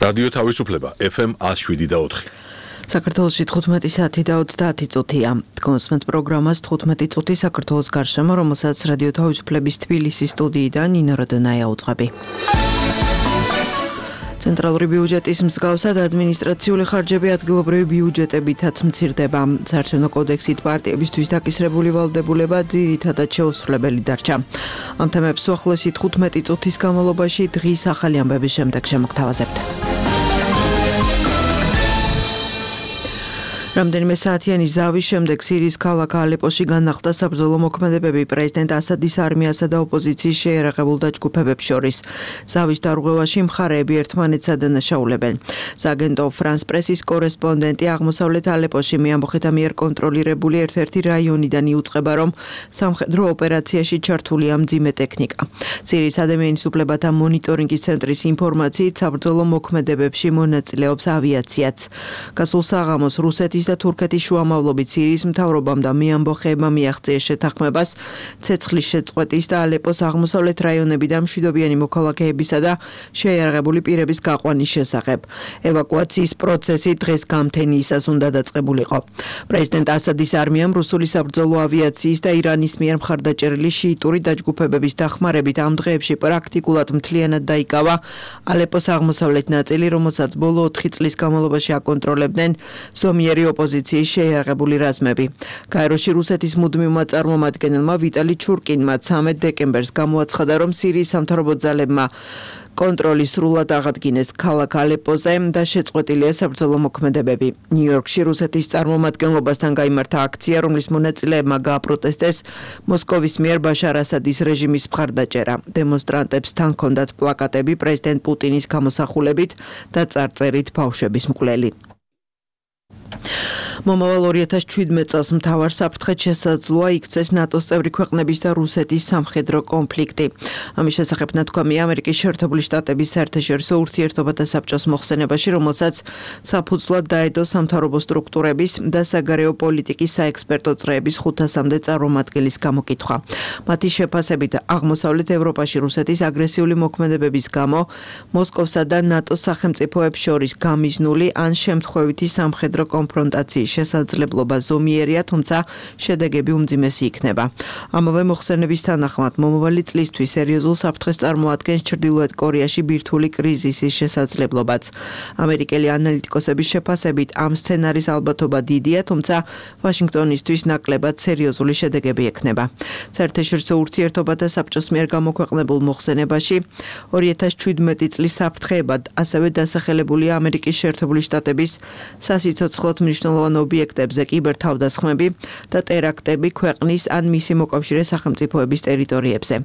რადიო თავისუფლება FM 107.4. საქართველოში 15 საათი და 30 წუთია. კონსმენტ პროგრამას 15 წუთი საქართველოს გარშემო, რომელსაც რადიო თავისუფლების თბილისის სტუდიიდან ნინო როდონაია უძღვები. ცენტრალური ბიუჯეტის მსგავსად ადმინისტრაციული ხარჯები ადგილობრივი ბიუჯეტებითაც მცირდება. საარჩევნო კოდექსით პარტიებისთვის დაკისრებული ვალდებულება ძირითადად შეუსრულებელი დარჩა. ამ თემებს უახლოესი 15 წუთის განმავლობაში დღის ახალი ამბების შემდეგ შემოგთავაზებთ. რამდენიმე საათიანი ზავის შემდეგ სირიის ქალაქ ალეპოში განახლდა საბრძოლო მოქმედებები პრეზიდენტ ასადის არმიასა და ოპოზიციის შეიარაღებულ დაჯგუფებებს შორის. ზავის დარღვევაში მხარეები ერთმანეთს ადანაშაულებენ. სააგენტო ფრანს პრესის კორესპონდენტი აღმოსავლეთ ალეპოში მეამბოხეთა მიერ კონტროლირებული ერთ-ერთი რაიონიდან იუწყება, რომ სამხედრო ოპერაციაში ჩართულია მძიმე ტექნიკა. სირიის ადამიანის უფლებათა მონიტორინგის ცენტრის ინფორმაციით საბრძოლო მოქმედებებში მონაწილეობს ავიაციაც. გასულ საღამოს რუსეთის და თურქეთის შუამავლობით სირიის მთავრობამ და მეამბოხეებმა მიაღწიეს შეთანხმებას ცეცხლის შეწყვეტის და ალეპოს აღმოსავლეთ რაიონებიდან მშვიდობიანი მოქალაქეებისა და შეიარაღებული პირების გაყვანის შესახებ. ევაკუაციის პროცესი დღეს გამთენიისას უნდა დაწყებულიყო. პრეზიდენტ ასადის არმიამ რუსული საბრძოლო ავიაციის და ირანის მიერ მხარდაჭერილი შიიტური დაჯგუფებების დახმარებით ამ დღეებში პრაქტიკულად მთლიანად დაიკავა ალეპოს აღმოსავლეთ ნაწილი, რომელსაც ბოლო 4 წლის განმავლობაში აკონტროლებდნენ ზომიერი ოპოზიციის შეიარაღებული რაზმები. გაეროში რუსეთის მუდმივმა წარმომადგენელმა ვიტალი ჩურკინმა 13 დეკემბერს გამოაცხადა, რომ სირიის სამთავრობო ძალებმა კონტროლი სრულად აღადგინეს ქალაქ ალეპოზე და შეწყვეტილია საბრძოლო მოქმედებები. ნიუ-იორკში რუსეთის წარმომადგენლობასთან გაიმართა აქცია, რომლის მონაწილეებმა გააპროტესტეს მოსკოვის მიერ ბაშარ ასადის რეჟიმის მხარდაჭერა. დემონსტრანტებს თან ჰქონდათ პლაკატები პრეზიდენტ პუტინის გამოსახულებით და წარწერით ბავშვების მკვლელი. მომავალ 2017 წელს მთავარ საფრთხედ შესაძლოა იქცეს ნატოს წევრი ქვეყნების და რუსეთის სამხედრო კონფლიქტი. ამის შესახებ ნათქვამია ამერიკის შეერთებული შტატების საერთაშორისო ურთიერთობათა საბჭოს მოხსენებაში, რომელსაც საფუძვლად დაედო სამთავრობო სტრუქტურების და საგარეო პოლიტიკის საექსპერტო წრეების 500-მდე წარმომადგენლის გამოკითხვა. მათი შეფასებით, აღმოსავლეთ ევროპაში რუსეთის აგრესიული მოქმედებების გამო მოსკოვსა და ნატოს სახელმწიფოებს შორის გამიზნული ან შემთხვევითი სამხედრო კონფრონტაციის შესაძლებლობა ზომიერია, თუმცა შედეგები უმძიმესი იქნება. ამავე მოხსენების თანახმად, მომავალი წლისთვის სერიოზულ საფრთხეს წარმოადგენს ჩრდილოეთ კორეაში ბირთვული კრიზისის შესაძლებლობაც. ამერიკელი ანალიტიკოსების შეფასებით, ამ სცენარის ალბათობა დიდია, თუმცა ვაშინგტონისთვის ნაკლებად სერიოზული შედეგები ექნება. საერთაშორისო ურთიერთობათა საბჭოს მიერ გამოქვეყნებულ მოხსენებაში 2017 წლის საფრთხეებად ასევე დასახელებულია ამერიკის შეერთებული შტატების სასიცოცხლოდ მნიშვნელოვან ობიექტებზე კიბერთავდასხმები და ტერაქტები ქვეყნის ან მისი მოკავშირე სახელმწიფოების ტერიტორიებზე.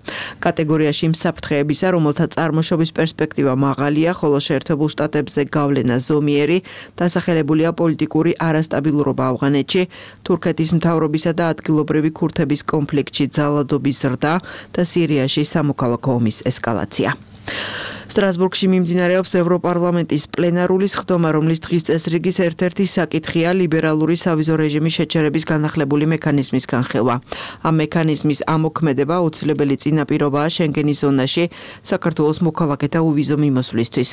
კატეგორიაში იმ საფრთხეებისა, რომელთა წარმოშობის პერსპექტივა მაღალია, ხოლო შეერთებულ შტატებზე გავლენა ზომიერი, დასახელებულია პოლიტიკური არასტაბილურობა ავღანეთში, თურქეთის მთავრობისა და ადგილობრივი ქურთების კონფლიქტში ძალადობის ზრდა და სირიაში სამოქალაქო ომის ესკალაცია. სტრასბურგში მიმდინარეობს ევროპარლამენტის პლენარული სხდომა, რომლის დღის წესრიგის ერთ-ერთი საკითხია ლიბერალური სავიზო რეჟიმის შეჩერების განახლებული მექანიზმის განხილვა. ამ მექანიზმის ამოქმედება აუცილებელი წინაპირობაა შენგენის ზონაში საქართველოს მოქალაქეთა უვიზო მიმოსვლისთვის.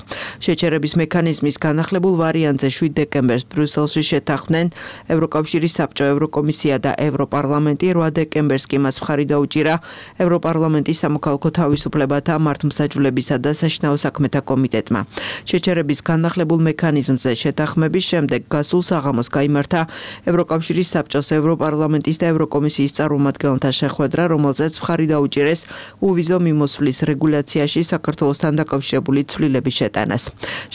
შეჩერების მექანიზმის განახლებულ ვარიანტზე 7 დეკემბერს ბრიუსელში შეთანხმდნენ ევროკავშირის საბჭო, ევროკომისია და ევროპარლამენტი. 8 დეკემბერს კი მას მხარი დაუჭირა ევროპარლამენტის სამოქალაქო თავისუფლებათა, მართლმსაჯულებისა და საშინაო საქმეთა კომიტეტმა. შეჩერების განახლებულ მექანიზმზე შეთანხმების შემდეგ გასულ საღამოს გაიმართა ევროკავშირის საბჭოს, ევროპარლამენტის და ევროკომისიის წარმომადგენელთა შეხვედრა, რომელზეც მხარი დაუჭირეს უვიზო მიმოსვლის რეგულაციაში საქართველოსთან დაკავშირებული ცვლილების შეტანას.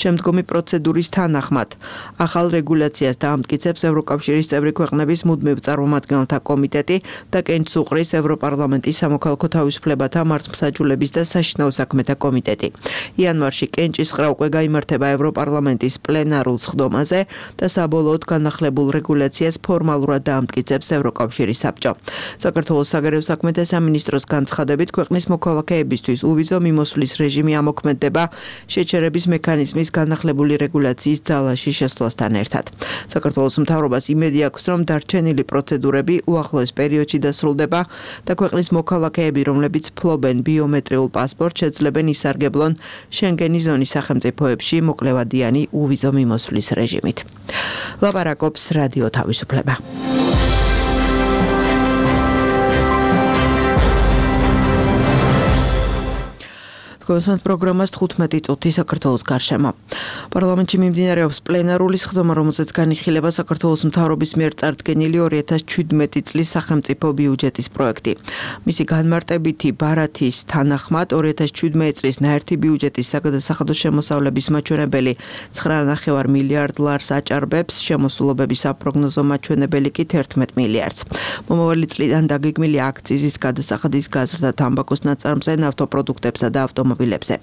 შემდგომი პროცედურის თანახმად ახალ რეგულაციას დაამტკიცებს ევროკავშირის წევრი ქვეყნების მუდმივ წარმომადგენელთა კომიტეტი და კენჭს უყრის ევროპარლამენტის სამოქალაქო თავისუფლებათა, მართლმსაჯულების და საშინაო საქმეთა კომიტეტი. იანვარში კენჭისყრა უკვე გაიმართება ევროპარლამენტის პლენარულ სხდომაზე და საბოლოოდ განახლებულ რეგულაციას ფორმალურად დაამტკიცებს ევროკავშირის საბჭო. საქართველოს საგარეო საქმეთა სამინისტროს განცხადებით, ქვეყნის მოქალაქეებისთვის უვიზო მიმოსვლის რეჟიმი ამოქმედდება შეჩერების მექანიზმის განახლებული რეგულაციის ძალაში შესვლასთან ერთად. საქართველოს მთავრობას იმედი აქვს, რომ დარჩენილი პროცედურები უახლოეს პერიოდში დასრულდება და ქვეყნის მოქალაქეები, რომლებიც ფლობენ ბიომეტრიულ პასპორტს, შეძლებენ ისარგებლონ შენგენის ზონის სახელმწიფოებში მოკლევადიანი უვიზო მიმოსვლის რეჟიმით. ლაპარაკობს რადიო თავისუფლება. კონსულტ პროგრამას 15 წუთი საქართველოს გარშემო. პარლამენტში მიმდინარეობს პლენარული სხდომა, რომელზეც განიხილება საქართველოს მთავრობის მიერ წარდგენილი 2017 წლის სახელმწიფო ბიუჯეტის პროექტი. მისი განმარტებითი ბარათის თანახმად 2017 წლის ნაერთი ბიუჯეტის საგადასახადო შემოსავლების მაჩვენებელი 9.5 მილიარდ ლარს აჭარბებს, შემოსულობების საპროგნოზო მაჩვენებელი კი 11 მილიარდს. მომავალი წლიდან დაგეგმილი აქციზის გადასახადის გაზრდა თამბაქოს ნაწარმზე, ნავთობპროდუქტებსა და ავტომობილებზე.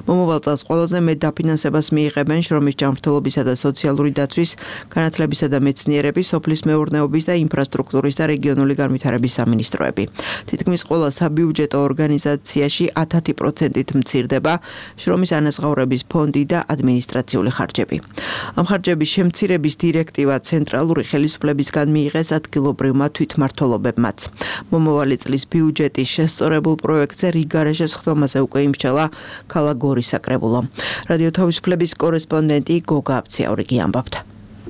მომავალ წელს ყველაზე მეტ დაფინანსებას მიიღებენ შრომის ჯანმრთელობისა და სოციალური დაცვის, განათლებისა და მეცნიერების, სოფლის მეურნეობის და ინფრასტრუქტურის და რეგიონული განვითარების სამინისტროები. თითქმის ყველა საბიუჯეტო ორგანიზაციაში 10%-ით მცირდება შრომის ანაზღაურების ფონდი და ადმინისტრაციული ხარჯები. ამ ხარჯების შემცირების დირექტივა ცენტრალური ხელისუფლებისგან მიიღეს ადგილობრივმა თვითმმართველობებმაც. მომავალი წლის ბიუჯეტის შესწორებულ პროექტზე რიგარეშე სხდომაზე უკვე იმსჩელა ქალაქ გორის საკრებულო. რადიო თავისუფლების კორესპონდენტი გოგა აბციაურიგი ამბობდა.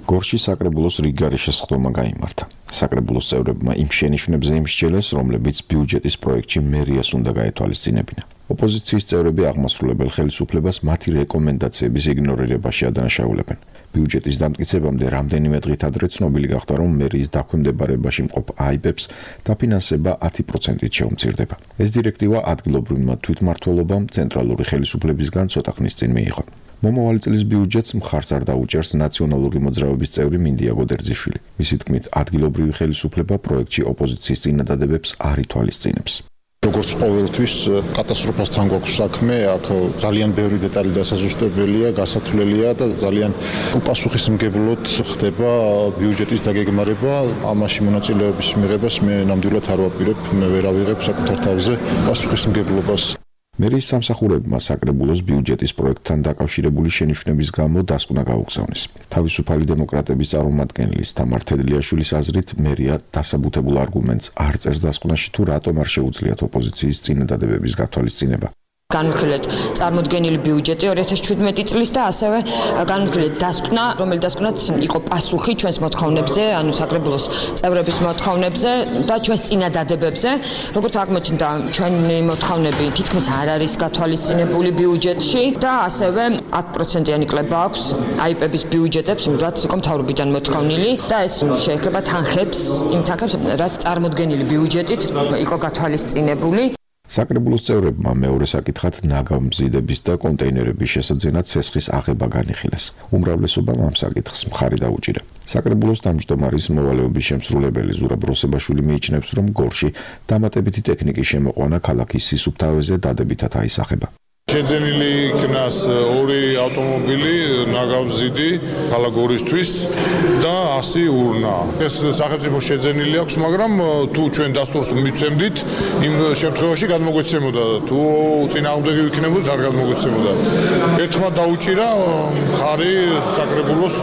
გორში საკრებულოს რიგარეშე სხდომა გაიმართა. საკრებულოს წევრებმა იმ შენიშვნებზე იმსჩელეს, რომლებიც ბიუჯეტის პროექტში მერიას უნდა გაეთვალისწინებინა. ოპოზიციის წევრები აღმასრულებელ ხელისუფლებას მათი რეკომენდაციების იგნორირებაში ადანაშაულებენ. ბიუჯეტის დამტკიცებამდე რამდენიმე დღით ადრე ცნობილი გახდა, რომ მერიის დაქვემდებარებაში მყოფ აიბებს დაფინანსება 10%-ით შეუმცირდება. ეს დირექტივა ადგილობრივმა თვითმმართველობამ ცენტრალური ხელისუფლებისგან ცოტა ხნის წინ მიიღო. მომავალი წლის ბიუჯეტს მხარს არ დაუჭერს ნაციონალური მოძრაობის წევრი მინდია გოდერძიშვილი. მისი თქმით, ადგილობრივი ხელისუფლება პროექტში ოპოზიციის წინადადებებს არ ითვალისწინებს. როგორც ყოველთვის კატასტროფასთან გვაქვს საქმე, აქ ძალიან ბევრი დეტალი დასაზუსტებელია, გასათვლელია და ძალიან უპასუხისმგებლოდ ხდება ბიუჯეტის დაგეგმარება. ამაში მონაწილეობის მიღებას მე ნამდვილად არ ვაპირებ, მე ვერ ავიღებ საკუთარ თავზე პასუხისმგებლობას. მერიის სამსახურებმა საკრებულოს ბიუჯეტის პროექტთან დაკავშირებული შენიშვნების გამო დასკვნა გაუგზავნეს. თავისუფალი დემოკრატების წარმომადგენლის თამარ თედლიაშვილის აზრით, მერია დასაბუთებულ არგუმენტს არ წერს დასკვნაში, თუ რატომ არ შეუძლიათ ოპოზიციის წინადადებების გათვალისწინება. განვიხილეთ წარმოდგენილი ბიუჯეტი 2017 წლის და ასევე განვიხილეთ დასკვნა, რომელიც დასკვნაც იყო პასუხი ჩვენს მოთხოვნებზე, ანუ საკრებულოს წევრების მოთხოვნებზე და ჩვენს წინადადებებზე. როგორც აღმოჩნდა, ჩვენი მოთხოვნები თითქმის არ არის გათვალისწინებული ბიუჯეტში და ასევე 10%-იანი კლება აქვს აიპების ბიუჯეტებს, რაც იყო მთავრობიდან მოთხოვნილი და ეს შეეხება თანხებს, იმ თანხებს, რაც წარმოდგენილი ბიუჯეტით იყო გათვალისწინებული. საკრებულოს წევრებმა მეორე საკითხად ნაგავმზიდების და კონტეინერების შესაძენად ცესხის აღება განიხილეს. უმრავლესობამ ამ საკითხს მხარი დაუჭირა. საკრებულოს თავმჯდომარის მოვალეობის შემსრულებელი ზურაბ როსებაშვილი მიიჩნევს, რომ გორში დამატებითი ტექნიკის შემოყვანა ქალაქის სისუფთავეზე დადებითად აისახება. შეძენილი იქნას 2 ავტომობილი ნაგავმზიდი ქალაქ გორისთვის და 100 ურნა. ეს სახელმწიფო შეძენილი აქვს, მაგრამ თუ ჩვენ დასტურს მიცემდით, იმ შემთხვევაში გადმოგვეცემოდა. თუ წინააღმდეგი ვიქნებოდით, არ გადმოგვეცემოდა. ერთხმად დაუჭირა მხარი საკრებულოს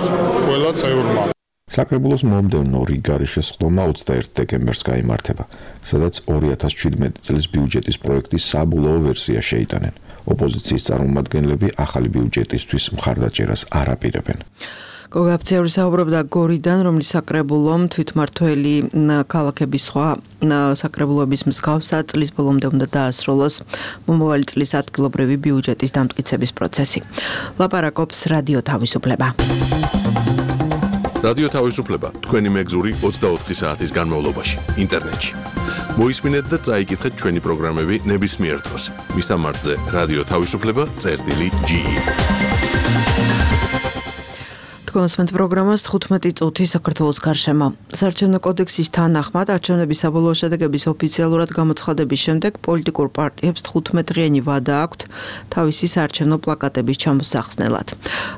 ყველა წევრმა. საკრებულოს მომდევნო რიგარეშე სხდომა 21 დეკემბერს გაიმართება, სადაც 2017 წლის ბიუჯეტის პროექტის საბოლოო ვერსია შეიტანენ. ოპოზიციის წარმომადგენლები ახალი ბიუჯეტისთვის მხარდაჭერას არ აპირებენ. გოგა აბციაური საუბრობდა გორიდან, რომლის საკრებულომ თვითმმართველი ქალაქების სხვა საკრებულოების მსგავსად წლის ბოლომდე უნდა დაასრულოს მომავალი წლის ადგილობრივი ბიუჯეტის დამტკიცების პროცესი. ლაპარაკობს რადიო თავისუფლება. რადიო თავისუფლება თქვენი მეგზური 24 საათის განმავლობაში ინტერნეტში. მოისმინეთ და წაიკითხეთ ჩვენი პროგრამები ნებისმიერ დროს. მისამართზე რადიო თავისუფლება.ge. კონსმენტ პროგრამას 15 წუთი საქართველოს გარშემო. საარჩევნო კოდექსის თანახმად არჩევნების საბოლოო შედეგების ოფიციალურად გამოცხადების შემდეგ პოლიტიკურ პარტიებს 15 დღიანი ვადა აქვთ თავისი საარჩევნო პლაკატების ჩამოსახსნელად.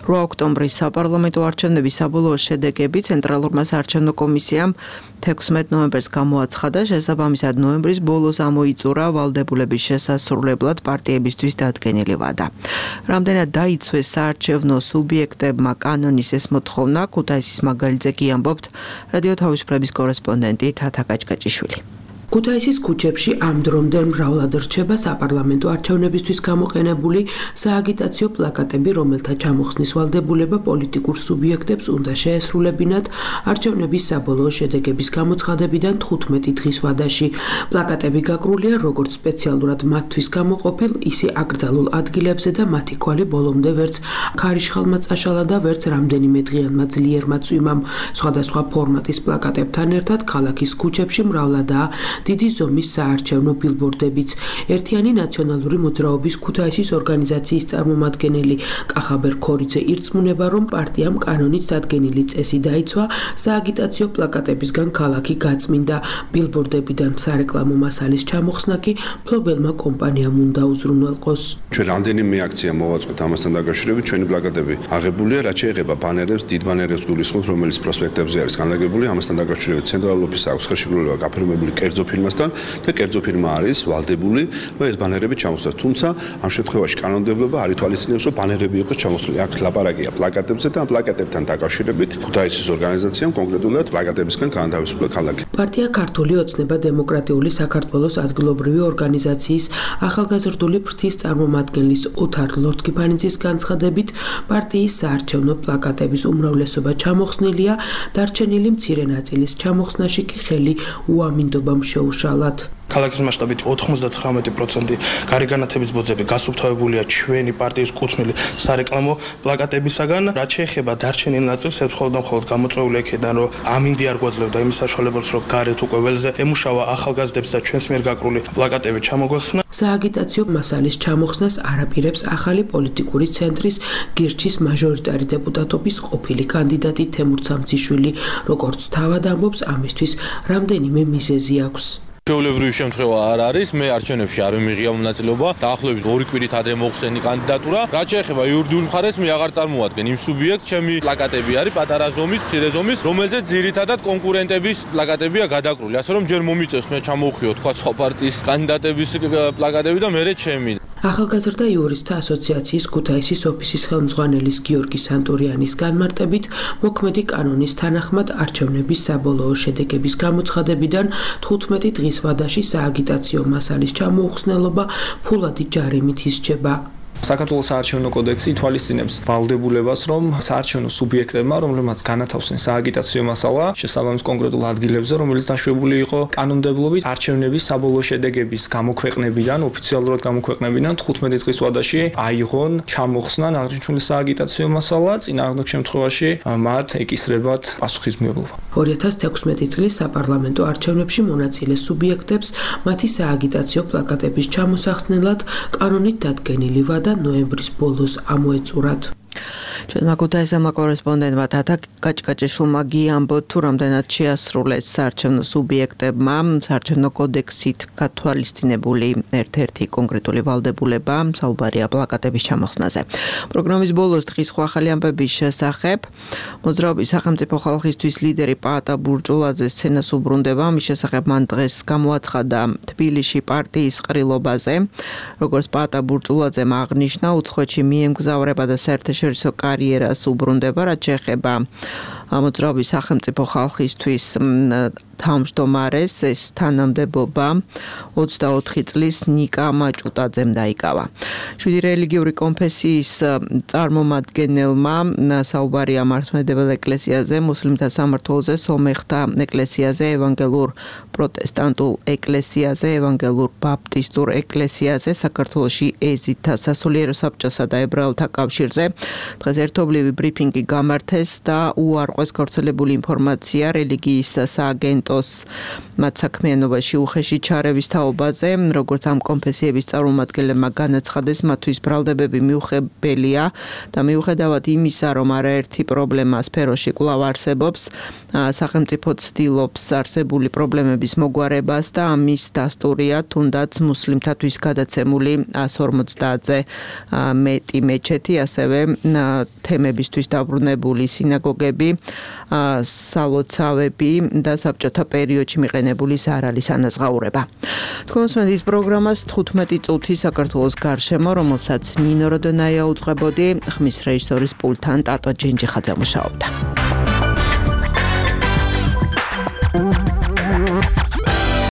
8 ოქტომბრის საპარლამენტო არჩევნების საბოლოო შედეგები ცენტრალურმა საარჩევნო კომისიამ 16 ნოემბერს გამოაცხადა, შესაბამისად ნოემბრის ბოლოს ამოიწურა ვალდებულების შესასრულებლად პარტიებისთვის დადგენილი ვადა. რამდენად დაიცვეს საარჩევნო სუბიექტებმა კანონის ეს მოთხოვნა, ქუთაისის მაგალითზე კი ამბობთ რადიო თავისუფლების კორესპონდენტი თათა კაჭკაჭიშვილი. ქუთაისის ქუჩებში ამ დრომდე მრავლად რჩება საპარლამენტო არჩევნებისთვის გამოყენებული სააგიტაციო პლაკატები, რომელთა ჩამოხსნის ვალდებულება პოლიტიკურ სუბიექტებს უნდა შეესრულებინათ არჩევნების საბოლოო შედეგების გამოცხადებიდან 15 დღის ვადაში. პლაკატები გაკრულია როგორც სპეციალურად მათთვის გამოყოფილ, ისე აკრძალულ ადგილებზე და მათი კვალი ბოლომდე ვერც ქარიშხალმა წაშალა და ვერც რამდენიმე დღიანმა ძლიერმა წვიმამ. სხვადასხვა ფორმატის პლაკატებთან ერთად ქალაქის ქუჩებში მრავლადაა დიდი ზომის საარჩევნო ბილბორდებიც. ერთიანი ნაციონალური მოძრაობის ქუთაისის ორგანიზაციის წარმომადგენელი კახაბერ ქორიძე ირწმუნება, რომ პარტიამ კანონით დადგენილი წესი დაიცვა სააგიტაციო პლაკატებისგან ქალაქი გაწმინდა. ბილბორდებიდან სარეკლამო მასალის ჩამოხსნა კი მფლობელმა კომპანიამ უნდა უზრუნველყოს. ჩვენ რამდენიმე აქცია მოვაწყოთ ამასთან დაკავშირებით, ჩვენი პლაკატები აღებულია, რაც შეეხება ბანერებს, დიდ ბანერებს გულისხმობ, რომელიც პროსპექტებზე არის განლაგებული, ამასთან დაკავშირებით ცენტრალურ ოფისს აქვს ხელშეკრულება გაფორმებული კერძო ფირმასთან და კერძო ფირმა არის ვალდებული, რომ ეს ბანერები ჩამოხსნას. თუმცა ამ შემთხვევაში კანონმდებლობა არ ითვალისწინებს, რომ ბანერები იყოს ჩამოხსნილი. აქ ლაპარაკია პლაკატებზე და ამ პლაკატებთან დაკავშირებით ქუთაისის ორგანიზაციამ კონკრეტულად პლაკატებისგან განთავისუფლა ქალაქი. პარტია ქართული ოცნება დემოკრატიული საქართველოს ადგილობრივი ორგანიზაციის ახალგაზრდული ფრთის წარმომადგენლის ოთარ ლორთქიფანიძის განცხადებით, პარტიის საარჩევნო პლაკატების უმრავლესობა ჩამოხსნილია, დარჩენილი მცირე ნაწილის ჩამოხსნაში კი ხელი უამინდობამ შეუშალათ. ქალაქის მასშტაბით 99% გარეგანათების ბოძები გასუფთავებულია ჩვენი პარტიის კუთვნილი სარეკლამო პლაკატებისაგან. რაც შეეხება დარჩენილ ნაწილს, ეს მხოლოდ გამოწვეული იქიდან, რომ ამინდი არ გვაძლევდა იმის საშუალებას, რომ გარეთ უკვე ველზე ემუშავა ახალგაზრდებს და ჩვენს მიერ გაკრული პლაკატები ჩამოგვეხსნა. სააგიტაციო მასალის ჩამოხსნას არაპირებს ახალი პოლიტიკური ცენტრის გირჩის მაჟორიტარი დეპუტატობის ყოფილი კანდიდატი თემურ სამციშვილი. როგორც თავად ამბობს, ამისთვის რამდენიმე მიზეზი აქვს. ჩვეულებრივი შემთხვევა არ არის, მე არჩევნებში არ მიმიღია მონაწილეობა, დაახლოებით 2 კვირით ადრე მოხსენი კანდიდატურა. რაც შეეხება იურიდიულ მხარეს, მე აღარ წარმოვადგენ იმ სუბიექტს, ჩემი პლაკატები არის პატარა ზომის, მცირე ზომის, რომელზეც ძირითადად კონკურენტების პლაკატებია გადაკრული. ასე რომ ჯერ მომიწევს მე ჩამოვხიო თქვა სხვა პარტიის კანდიდატების პლაკატები და მერე ჩემი. ახალგაზრდა იურისტთა ასოციაციის ქუთაისის ოფისის ხელმძღვანელის გიორგი სანტურიანის განმარტებით, მოქმედი კანონის თანახმად არჩევნების საბოლოო შედეგების გამოცხადებიდან 15 დღის ვადაში სააგიტაციო მასალის ჩამოუხსნელობა ფულადი ჯარიმით ისჯება. საქართველოს საარჩევნო კოდექსი ითვალისწინებს ვალდებულებას, რომ საარჩევნო სუბიექტებმა, რომლებმაც განათავსեն სააგიტაციო მასალა, შესაბამის კონკრეტულ ადგილებზე, რომელიც დაშვებული იყო კანონმდებლობით, არჩევნების საბოლოო შედეგების გამოქვეყნებიდან, ოფიციალურად გამოქვეყნებიდან 15 დღის ვადაში აიღონ, ჩამოხსნან აღნიშნული სააგიტაციო მასალა, წინააღმდეგ შემთხვევაში მათ ეკისრებათ პასუხისმგებლობა. 2016 წლის საპარლამენტო არჩევნებში მონაწილე სუბიექტებს მათი სააგიტაციო პლაკატების ჩამოსახსნელად კანონით დადგენილი ვადა ნოემბრის ბოლოს ამოეწურათ. ჩვენმა ქუთაისელმა კორესპონდენტმა თათა გაჭკაჭიშვილმა გიამბოთ, თუ რამდენად შეასრულეს საარჩევნო სუბიექტებმა საარჩევნო კოდექსით გათვალისწინებული ერთ-ერთი კონკრეტული ვალდებულება საუბარია პლაკატების ჩამოხსნაზე. პროგრამის ბოლოს დღის სხვა ახალი ამბების შესახებ მოძრაობის სახელმწიფო ხალხისთვის ლიდერი პაატა ბურჭულაძე სცენას უბრუნდება. მის შესახებ მან დღეს გამოაცხადა თბილისში პარტიის ყრილობაზე. როგორც პაატა ბურჭულაძემ აღნიშნა, უცხოეთში მიემგზავრება და საერთაშორისო კარიერას უბრუნდება, რაც შეეხება მოძრაობის სახელმწიფო ხალხისთვის თავმჯდომარეს ეს თანამდებობა 24 წლის ნიკა მაჭუტაძემ დაიკავა. 7 რელიგიური კონფესიის წარმომადგენელმა საუბარია მართლმადიდებელ ეკლესიაზე, მუსლიმთა სამმართველოზე, სომეხთა ეკლესიაზე, evangeliურ პროტესტანტულ ეკლესიაზე, evangeliურ ბაპტისტურ ეკლესიაზე, საქართველოში ეზითა სასულიერო საბჭოსა და ებრაელთა კავშირზე. დღეს ერთობლივი ბრიფინგი გამართეს და უარყვეს გავრცელებული ინფორმაცია რელიგიის სააგენტოს მათ საქმიანობაში უხეში ჩარევის თაობაზე, როგორც ამ კონფესიების წარმომადგენლებმა განაცხადეს, მათთვის ბრალდებები მიუღებელია და მიუხედავად იმისა, რომ არაერთი პრობლემა სფეროში კვლავ არსებობს, სახელმწიფო ცდილობს არსებული პრობლემების მოგვარებას და ამის დასტურია თუნდაც მუსლიმთათვის გადაცემული 150-ზე მეტი მეჩეთი, ასევე თემებისთვის დაბრუნებული სინაგოგები, სალოცავები და საბჭოთა პერიოდში მიყენებული სარალის ანაზღაურება. თქვენსმენდით პროგრამას 15 წუთი საქართველოს გარშემო, რომელსაც ნინო როდონაია უძღვებოდი, ხმის რეჟისორის პულტთან ტატო ჯენჯიხაძე მუშაობდა.